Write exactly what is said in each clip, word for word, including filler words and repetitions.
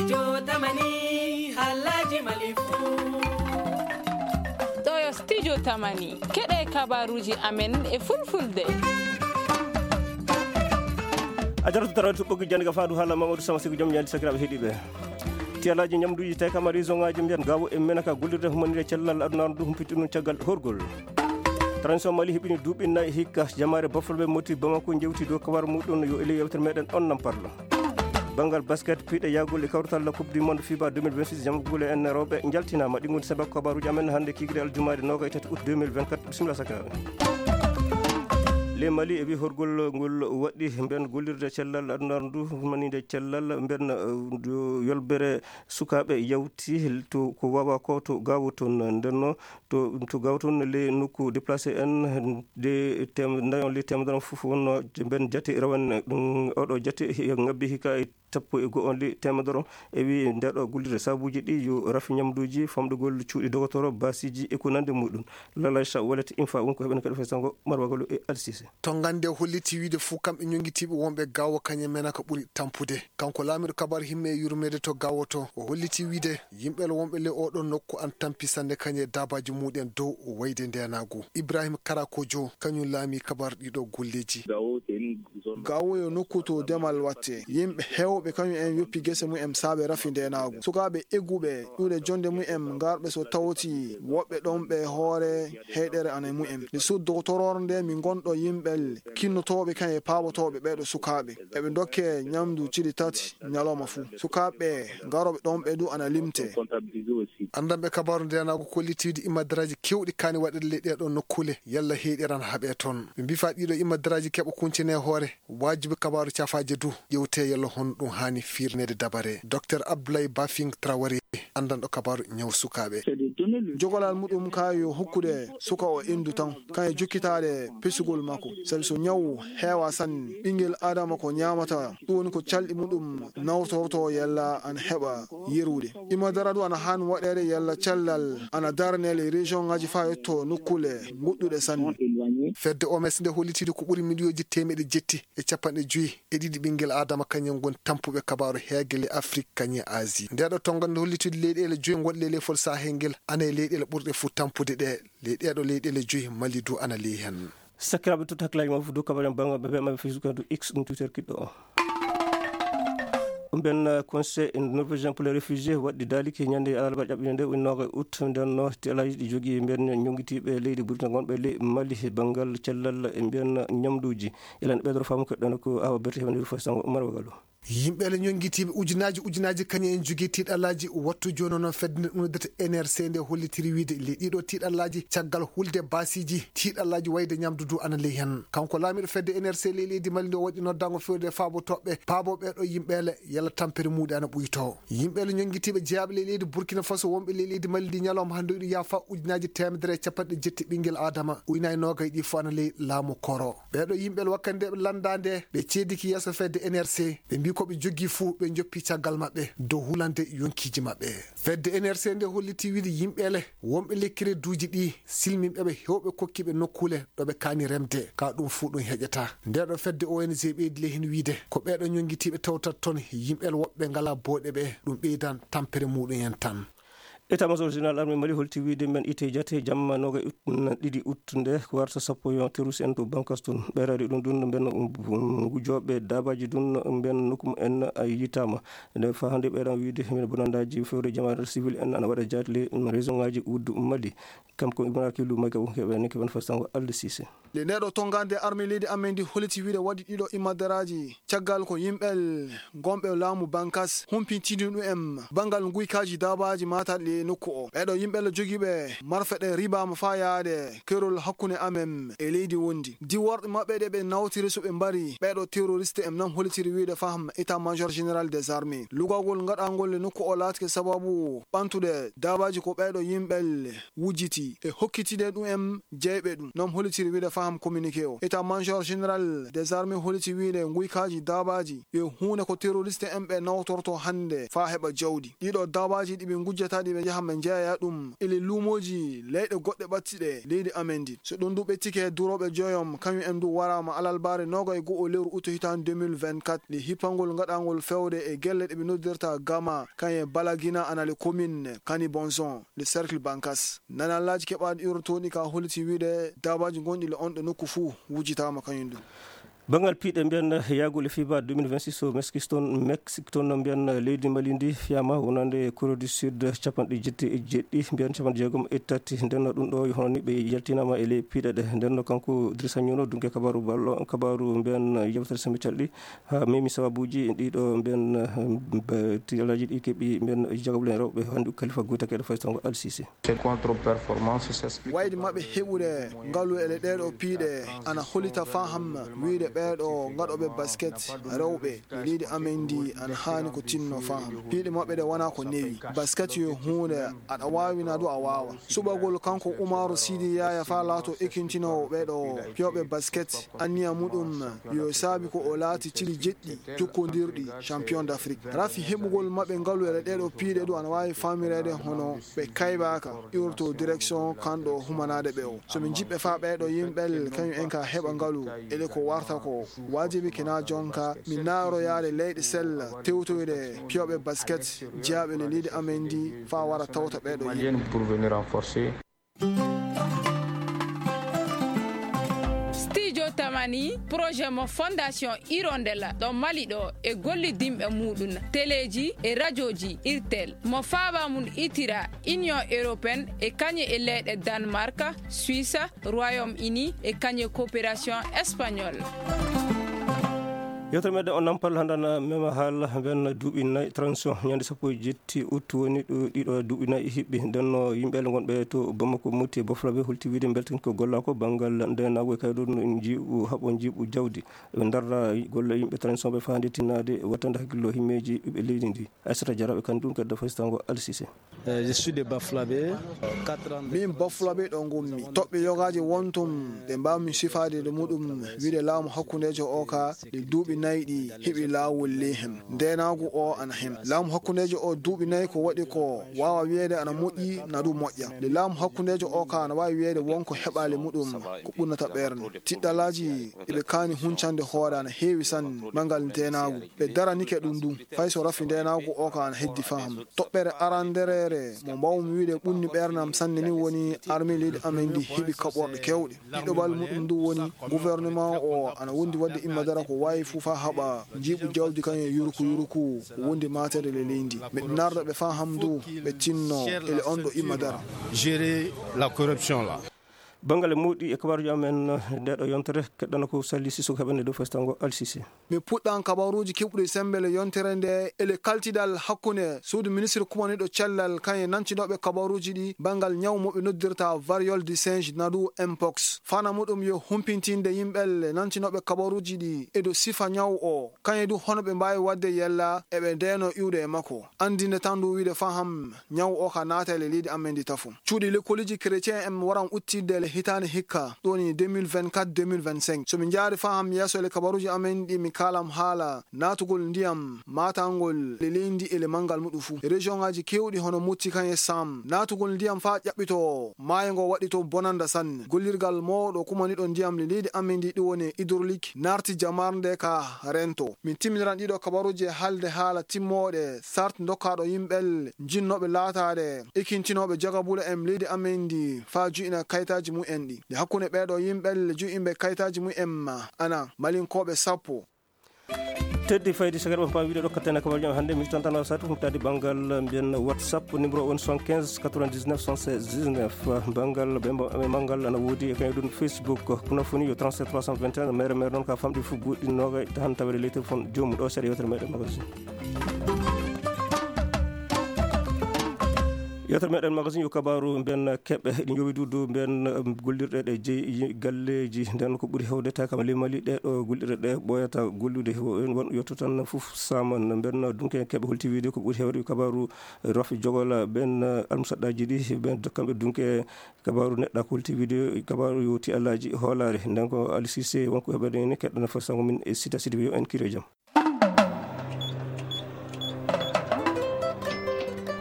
Jotamani, halaji malifu. Ɗo yo studio Tamani. Keɗe kabaruji amen e fulfulde. A jarata tarawde to ɓoggi jannde ka faandu haala Mamadou Sama Sigo Joom Ñaali sakiraaɓe heɗiiɓe. Tiyalaaji ñamduuji tawi kam a raison ŋaaji mbiyan gawo e menaka gollirde humanire cellal aduna ndu humpiti ɗum caggal horgol. Transition Mali heɓini duuɓi nayi hikka jamaare bafulɓe moti Bamako jewti dow kabar muɗum yo ele yewtere meɗen on nam parlo. Banngal basket piɗe yagol e kawtal la coupe du monde fiba deux mille vingt-six jamgule en rewɓe jaltinaama ɗi ngoni sabak kabaruji amen hannde kigre aljumaade noga e tati août deux mille vingt-quatre. Bisimilla sakiraaɓe. Le Mali e wi horgol ngol waɗi mben gollirde cellal aduna ndu manide cellal mben, eh, ndu yolbere sukaaɓe yawti to ko wawa ko to gawo toon ndenno to to gawo toon le nokku déplacé en de tem dayon le temedere fof wonno mben jate rawane ɗum oɗo jate ngabbi hika e sappo e go'o le temedere e wi ndeɗo gollirde sabuji ɗi yo rafi ñamduji famɗugol cuuɗi dogotoro basiji e ko nande muɗum. Lalacha wallet infa won ko heɓen kadi fay sango marwagalo e alsise. To gande holliti wiide fuu kamɓe ñonngitiiɓe wonɓe gawo kañe mena ko ɓuri tampude. Kanko laamiiɗo kabar himme e yurmeede to gawo to o holliti wiide yimɓe wonɓe le oɗo nokku an tampi sannde kañe dabaji muɗen dow wayde ndenagu. Ibrahim Karakojo kañum laami kabar ɗiɗo golleji. Gawo yo nokku to demal watte. Yimɓe heewɓe kañum en yoppi gese mumen saabe rafi ndenaagu. Sukaaɓe egguɓe ƴuuɗe jonde mumen ngarɓe so tawti woɓɓe ɗon ɓe hoore heyɗere ana mumen. Nde suddo tororde mi ngonɗo yimɓe kinnotooɓe kañum e paabotooɓe ɓeeɗo sukaaɓe. Eɓe ndokke ñamdu cili tati ñalawma fuu. Sukaaɓe ɓe ngarooɓe ɗon ɓe du ana limte. Anndanɓe kabaaru ndenaagu kollitiiɗi imadaraaji keewɗi kaani waɗeede ley ɗee ɗoo nokkuule yalla heyɗere ana haɓee toon. Ɓe mbii faa ɗii ɗoo imadaraaji keɓa kuncine hoore. Waajibi kabaaru cafaaje du ƴewte yalla hono ɗum haani fiirneede dabare. Docteur Abdoulaye Bafing Traoré, anndanɗo kabaaru ñaw sukaaɓe. Jogolal muɗum ka yo hokkude suka o inndu tan, kan e jokkitaade pesugol makko. Sabi so ñaw heewa sanne, ɓinngel Aadama ko ñaamata, ɗum woni ko calɗi muɗum nawtorto yalla ana heɓa yerude. Imadara du ana haani waɗeede yalla cellal ana darane ley région ŋaaji faa yetto nokkuule goɗɗuɗe sanne. Fedde O M S nde hollitiiɗo ko ɓuri miliyooji teemeɗe jetti e capanɗe joyi e ɗiɗi ɓinngel Aadama kañum ngoni tampuɓe kabaaru heege ley Afrik kañum e Asie. Nde ɗoo tonngande hollitiiɗo leyɗeele joyi gonɗe ley leyfol Sahel ngel ana e leyɗeele ɓurɗe fuu tampude ɗe. Ley ɗee ɗoo leyɗeele joyi Mali du ana ley heen. Sakiraaɓe, totta hakkilaaji maɓɓe fof dow kabaru en banngal ɓe ɓe maɓɓe Facebook, X, ɗum Twitter kiɗɗo o. Mben, eh, Conseil norvégien pour les réfugiés waɗi daaliki ñande alarba ƴaɓɓinde nde woni noga août, nden no ti alaaji ɗi jogii mben ñonngitiiɓe leydi Burkina gonɓe ley Mali he banngal cellal e mbiyan ñamduuji. Elan ɓeydoro faamu keɗɗono ko Awa Berti heɓandir fof sango Umar Wagalo. Yimɓe le ñonngitiiɓe ujunaaji ujunaaji kañum en jogii tiiɗalaaji wattu jooni noon fedde nde ɗum noddata N R C nde hollitiri wiide le ɗiɗo tiiɗalaaji caggal hulde baasiiji tiiɗalaaji wayde ñamdu du ana ley heen. Kanko laamiiɗo fedde N R C ley leydi Mali nde o waɗi noddango fewde faabo toɓɓe paabo ɓeeɗo yimɓe le yalla tampere muuɗi ana ɓuyto. Yimɓe le ñonngitiiɓe jeyaaɓe ley leydi Burkina Faso wonɓe ley leydi Mali ndi ñalawma hannde o iɗi yaafa ujunaaji teemedere e capanɗe jetti ɓinngel Aadama uynayi noogay ɗi fof ana ley laamu koro. Ɓeeɗo yimɓe le wakkande ɓe lanndaande ɓe ceediki yeeso fedde N R C ɓe mbii ko ɓe jogii fuu ɓe njoppi caggal maɓɓe dow hulande yonkiiji maɓɓe. Fedde N R C nde holliti wiide yimɓe le wonɓe ley kereduuji ɗi silminɓe ɓe heewɓe kokkiiɓe nokkuule ɗo ɓe kaani remde ka ɗum fuu ɗum heƴata. Nde ɗo fedde O N G ɓeydi le heen wiide ko ɓeeɗo ñonngitiiɓe tawtat toon yimɓe le woɓɓe ngalaa booɗe ɓe ɗum ɓeydan tampere muuɗum en tan. État-major général armée Mali holti wiide men itte jate jamma noga ut ɗiɗi ut nde ko warta sappo yo terus en to bankas tun ɓeyrade ɗum ɗum mben ngujooɓe dabaji ɗum mben nokku en yitama. Nde fa hannde ɓeyɗan wiide men bonandaji fewre jamaare civil en ana waɗa jaati le région ngaji wuddu Mali. Kam ko Ibrahima Kilu Maga won heɓe ne keɓen fa sango Alde Sise. Nde ɗo tongande armée leydi amen ndi holiti wiide waɗi ɗiɗo imadaraaji caggal ko yimɓe gonɓe laamu bankas humpintini ɗum en banngal nguykaaji daabaaji maataɗi e nokku o. Ɓeeɗo yimɓe jogiiɓe marfe ɗe ribaama faa yaade kerol hakkunde amen e leydi wondi. Diworɗe maɓɓe ɗe ɓe nawtiri so ɓe mbari ɓeeɗo terroriste en nan holitiri wiide faham état major général des armées. Lugagol ngaɗangol e nokku o laatike sababu ɓantude daabaaji ko ɓeeɗo yimɓe wujjiti e hokkitide ɗum en jeyɓe ɗum. Noon holitiri wiide faham communiqué o. État major général des armées holiti wiide nguykaaji daabaaji yo huunde ko terroriste en ɓe nawtorto hannde faa heɓa jawdi. Ɗiɗo daabaaji ɗi ɓe ngujjata ɗi ɓe yaha men njeeya ɗum ele luumooji leyɗe goɗɗe ɓattiɗe leydi amen ndi. So ɗum du ɓettike, durooɓe joyom, kañum en du waraama alalbaare noogay go'o lewru uto hitaande deux mille vingt-quatre, le hippangol ngaɗangol fewde e gelle ɗe ɓe noddirta Gama, kañum e Balagina, ana le commune Kani Bonson, le cercle Bankas. Nanallaaji keɓaaɗi urotooɗi ka holliti wiide daabaaji gonɗi le on ɗo nokku fuu wujitaama kañum du. Banngal piiɗe mbiyan yaagule fiba deux mille vingt-six o Mexique toon, Mexique toon mbiyan leydi Mali ndi fiyama wonande Corée du Sud capanɗe jetti e jeɗɗi, mbiyan capanɗe jeegom e tati. Nden ɗum ɗo hono ni ɓe yaltinama e ley piiɗe ɗe. Nden kanko Idrissa Ñono dunke kabaru ballo, kabaru mbiyan yewtere semi calɗi ha memi sababuji ɗiɗo mbiyan, eh, tilaji ɗi keɓi mbiyan jagabule rewɓe handu Khalifa Goita keɗo faytongo Al Sisi. Wayde maɓɓe heɓude ngalu ele ɗeeɗo piiɗe ana hollita faham wiyde ɓeeɗo ngaɗooɓe basket rewɓe leydi amen ndi ana haani ko tinno faham. Piiɗe maɓɓe ɗe wona ko newi. Basket yo huunde aɗa waawi na du a waawa. Suɓagol kanko Umaru Sidi Yaya fa laato ekintinoowo ɓeeɗo piyooɓe basket, anniya muɗum yo saabi ko o laati cili jeɗɗi jokkondirɗi champion d'Afrique. Rafi heɓugol maɓɓe ngalu ele ɗeeɗo piiɗe du ana waawi faamireede hono ɓe kaybaaka iwrto direction kanɗo humanaade ɓe o. So min jiɓɓe faa ɓeeɗo yimɓel kañum en ka heɓa ngalu, ele ko warta ko waajibi kena jonka min naaroyaade leyɗe sella tewtoyde piyooɓe basket jeyaaɓe le leydi amen ndi faa wara tawta ɓeeɗo yimɓe. Studio Tamani, projet mo Fondation Hirondelle ɗo Mali ɗo e gollidinɓe muɗum, teleji e rajoji Irtel, mo faaba mum itira Union Européenne e kañe e leyɗe Danemark, Suisse, Royaume-Uni e kañe coopération espagnole. Yewtere meɗen o Nampal hanndana mema haala mben duuɓi nayi transition ñande sappo e jetti août woni ɗo ɗiɗo duuɓi nayi hiɓɓi. Nden no yimɓe gonɓe to Bamako, Moti e Bafulabe holti wiide mbeltin ko gollako banngal ndenago e kaydo no en jiiɓu haɓo jiiɓu jawdi. Ɓe darra golle yimɓe transition ɓe faa nde tinnaade wattande hakkillo himmeeji ɓiɓɓe leydi ndi. Aissata Diarra ɓe kanndum keddo faystango Al Sise. Eh, je suis de Bafulabe. Quatre ans. Min Bafulabe ɗo ngonmi. Toɓɓe yogaaji wontum ɗe mbaawmi sifaade ɗo muɗum wiide laamu hakkundeejo o ka ɗi duuɓi nayi ɗi heɓi laawol ley hem. Ndeenaagu o ana hem. Laamu hakkundeejo o duuɓi nayi ko waɗi ko waawa wiyeede ana moƴƴi na du moƴƴa. Nde laamu hakkundeejo o ka ana waawi wiyeede wonko heɓaali muɗum ko ɓurnata ɓernde. Tiɗɗalaaji eɓe kaani huncande hoore ana heewi sanne. Manngal ndeenaagu. Ɓe daranike ɗum ɗum. Fay so rafi ndeenaagu o ka ana heddi faham. Toɓɓere arandereere mo mbaawmi wiide ɓunni ɓernam sanne ni woni armée leydi amen ndi heɓi kaɓorɗe kewɗe. Ɗiɗo bal muɗum ndu woni gouvernement o ana wondi wadde imma dara ko waawi fuu faa haɓa njiiɓu jawdi kañum e yuruku yuruku wondi maatere le leydi. Miɗo narda ɓe faham ndu ɓe tinno ele on ɗo imma dara. Gérer la corruption là. Banngal e muuɗi e kabaaruji amen nde ɗo yontere keɗɗana ko Sali Sissoko heɓande dow festango Al Sisi. Mi puɗɗan kabaruuji keɓɗi sembe le yontere nde ele kaltidal hakkunde suudu ministre kumaniiɗo cellal kañum e nantinooɓe kabaruuji ɗi banngal ñaw mo ɓe noddirta variole du singe nadu mpox. Fana muɗum yo humpintinde yimɓe le nantinooɓe kabaruuji ɗi e dow sifa ñaw o kañum du hono ɓe mbaawi waɗde yella eɓe ndeenoo iwde e makko. Anndinde tan ndu wiide faham ñaw o ka naata e le leydi amen ndi tafo. Cuuɗi lekkoliji chrétien en waran uttidde le hitaande hikka ɗo woni deux mille vingt-quatre deux mille vingt-cinq. So mi jaari faham yeeso le kabaruuji amen ɗi mi kaalam haala naatugol ndiyam maatangol le leydi e le manngal muɗum fuu. Région ngaji kewɗi hono Motti kañum e Sam naatugol ndiyam faa ƴaɓɓito maayo ngo waɗi to bonanda sanne. Gollirgal mawɗo kumaniiɗo ndiyam le leydi amen ndi ɗum woni hydraulique naarti jamarnde ka rento. Min timminiran ɗiɗo kabaruuji e haalde haala timmooɗe sart dokkaaɗo yimɓe jinnooɓe laataade ekintinooɓe jagabule en leydi amen ndi faa ju'ina kayitaaji mumen ɗi. Nde hakkunde ɓeeɗo yimɓe ju'inɓe kayitaaji mumen ana malinkooɓe sappo. Teddi faydi sagari on paawi wiide ɗo kattane kabaruuji am hannde mi tan tan satu humtaade banngal mbiyen WhatsApp numéro on soixante-quinze quatre-vingt-dix-neuf soixante-seize dix-neuf. Banngal ɓe mba-, ɓe manngal ana woodi e kañum ɗum Facebook. Kono foni yo trente-sept trois cent vingt et un, mere mere noon ka famɗi fof goɗɗi noogay tan tawede ley téléphone joomum ɗo seeɗa yewtere meɗen magasin. Yewtere meɗen magasin yo kabaaru mbiyen keɓe ɗi jowi duudu mbiyen, um, gollirɗe ɗe jeyi galleeji nden ko ɓuri hewde tawi kam ley Mali ɗe ɗo gollirɗe ɗe ɓooyata gollude won yotto tan fof saman mbiyen dunke keɓe holti wiide ko ɓuri hewde kabaaru rafi jogola ɓen almusaɗɗaji ɗi ɓen kamɓe dunke kabaaru neɗɗa ko holti wiide kabaaru yowti alaji hoolaare nden ko Ali Cissé wonko heɓaɗen ni keɗɗana fof sango min e sita sidi yo en kiro e jam.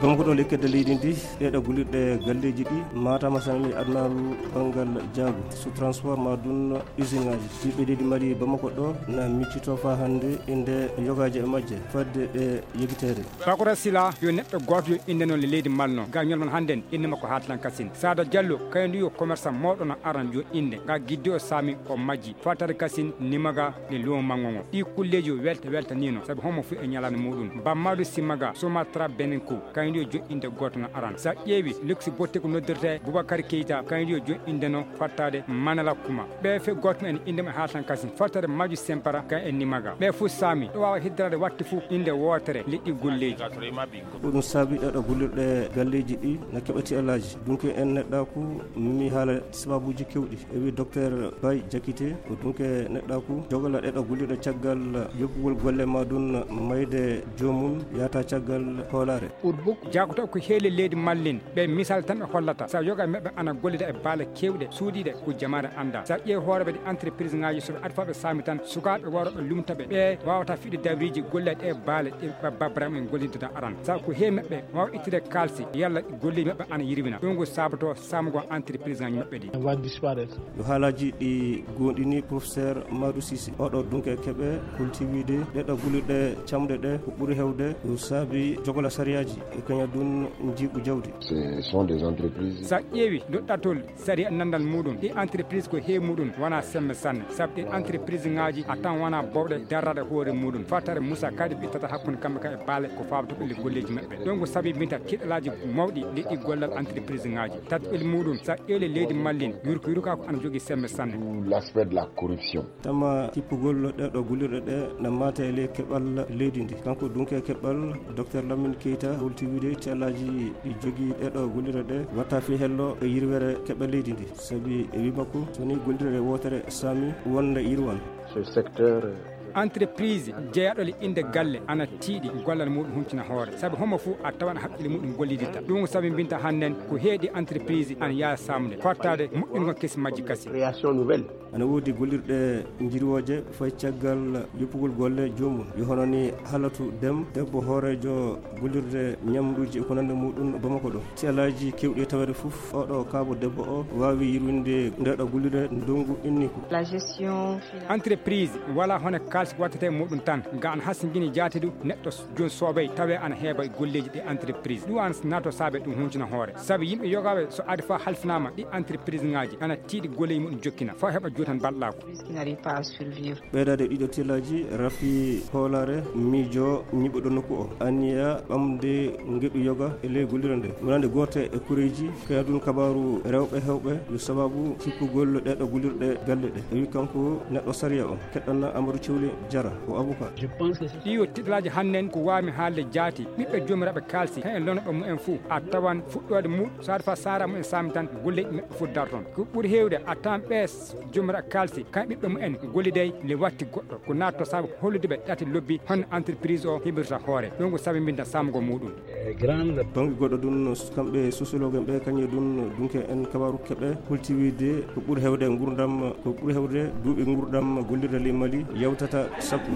Bamako ɗo, lekkedde leydi ndi, ɗeɗo gullirɗe galleeji ɗi maatama sanani adnaaru banngal jaagu, sous transport ma ɗum usine ngaji. Ɓiɓɓe leydi Mali Bamako ɗo na miccito fa hannde inde yogaaji e majje fadde ɗe yegiteede. Bakora Sila yo neɗɗo gooto yo inde noon le leydi Mali noon. Ga ñol mon hannden inde makko Hatlan Kasin. Sada Diallo kayndi yo commerçant mooɗo no aran yo inde. Ga gidde o saami o majji. Fatare Kasin nimaga le lumo mango ngo. Ɗi kulleeji o welta welta nino. Sabi homo fu e ñalaande muɗum. Bammadu Simaga Sumatra Beninku. Kayndi yo joɗɗinde gooto no aran. Sa ƴeewi luksi botte ko noddirte Boubacar Keita. Kayndi yo joɗɗinde no fattade Manala Kuma. Ɓe fe gooto men inde mo Hatlan Kasin. Fattade Maju Sempara kan e nimaga. Ɓe fu saami. Ɗo waawa hiddarade watti fu inde wootere leƴƴi golleeji. Ko ɗum saabi ɗeɗo gullirɗe galleeji ɗi na keɓati alaaji. Dunke en neɗɗaaku mi haala sababuuji kewɗi. E wi Docteur Bay Jakite ko dunke neɗɗaaku jogala ɗeɗo gullirɗe caggal yoɓugol golle ma ɗum mayde joomum yaata caggal hoolaare. Jakoto ko heeli leydi Mallin ɓe misal tan ɓe hollata. Sa yoga meɓɓe ana gollida e baale kewɗe suuɗiɗe ko jamaare annda. Sa ƴeewi hooreɓe ɗi entreprise ngaji soɓe adfaɓe saami tan sukaaɓe waroɓe lumtaɓe ɓe wawata fiɗde dawriji golle ɗe baale ɗe babrama en gollidata aran. Sa ko he meɓɓe wawa ittude kalsi yalla golli meɓɓe ana yirwina. Ɗum ko sabato samugo entreprise ngaji meɓɓe ɗi. Yo haalaji ɗi gondini professeur Madou Cissé. Oɗo dunke keɓe kultiwide ɗeɗo guliɗe camɗe ɗe ko ɓuri hewde ko saabi jogola sariyaaji e kaña ɗum njiiɓu jawdi. Ce sont des entreprises. Sa ƴeewi doɗɗatol sariya nandal muɗum ɗi entreprise ko he muɗum wona semme sanne sabu ɗi entreprise ngaji a tan wona bowɗe darrade hoore muɗum fatare Moussa kadi ɓe ittata hakkunde kamɓe ka e baale ko fawata ɓelle golleji maɓɓe ɗum ko sabi mbinta kiɗalaji mawɗi leƴƴi gollal entreprise ngaji tatɓel muɗum sa ƴeewi leydi mallin yurko yurka ko ana jogui semme sanne. L'aspect de la corruption. Tama kippugol ɗeɗo gullirɗe ɗe na mata e ley keɓal leydi ndi. Kanko dunke keɓal Docteur Lamine Keita holti wiide cellaaji ɗi jogii ɗeɗo gullirɗe ɗe watta fii hello e yirwere keɓal leydi ndi. Sabi e wii makko so ni gullirɗe wootere saami wonde yirwan. Ce secteur. Entreprise jeyaɗo le innde galle ana tiiɗi gollal muɗum huncina hoore sabi homo fof a tawan haqqille muɗum golliditta ɗum ko sabi mbinta hannden ko heedi entreprise ana yaha samde fottaade moƴƴingol kesi majji kasi. Création nouvelle. Ana woodi gollirɗe njirwooje fay caggal yoppugol golle joomum yo hono ni Halatu Dem debbo hooreejo gollirde ñamduuji e ko nande muɗum Bamako ɗo. Ci alaaji kewɗi e taweede fof oɗo kaabo debbo o waawi yirwinde ndeɗo gollirde ndongu inni ko. La gestion financière. Entreprise wala hono kaalis wattete muɗum tan ga an hasingini jaati du neɗɗo jooni soobay tawe ana heeɓa e golleeji ɗi entreprise ɗum an nato saabe ɗum huncina hoore sabi yimɓe yogaaɓe so adi fa halfinaama ɗi entreprise ngaji ana tiiɗi golleeji muɗum jokkina fa heɓa juutan balɗaako. Qui n'arrive pas à survivre. Ɓeydaade ɗiɗo tillaaji rafi hoolaare miijo ñiɓuɗo nokku o anniya ɓamde ngeɗu yoga e ley gollirde nde wonande goote e koreeji kayadun kabaaru rewɓe hewɓe yo sababu kippugol ɗeɗo gollirɗe galle ɗe e wi kanko neɗɗo sariya o keɗɗanna amadou cewle jara o avocat. Ɗi yo tiɗalaaji hannden ko waawmi haalde jaati ɓiɓɓe joomiraɓe kaalsi hen e lonooɓe mumen fof a tawan fuɗɗoode muɗum so aɗa fa saara mumen saami tan golleeji maɓɓe fof darton ko ɓuri heewde a tawan ɓe joomiraɓe kaalsi kan ɓiɓɓe mumen golliday le watti goɗɗo ko naatto sabu hollude ɓe ɗate lobbi honno entreprise o heɓirta hoore ɗum ko sabi mbinta samgo muɗum. Bannge goɗɗo ɗum kamɓe sociologue en ɓe kañum e ɗum dunke en kabaru keɓe holti wiide ko ɓuri hewde ngurdam ko ɓuri hewde duuɓi ngurdam gollirde ley Mali yawtata sappo.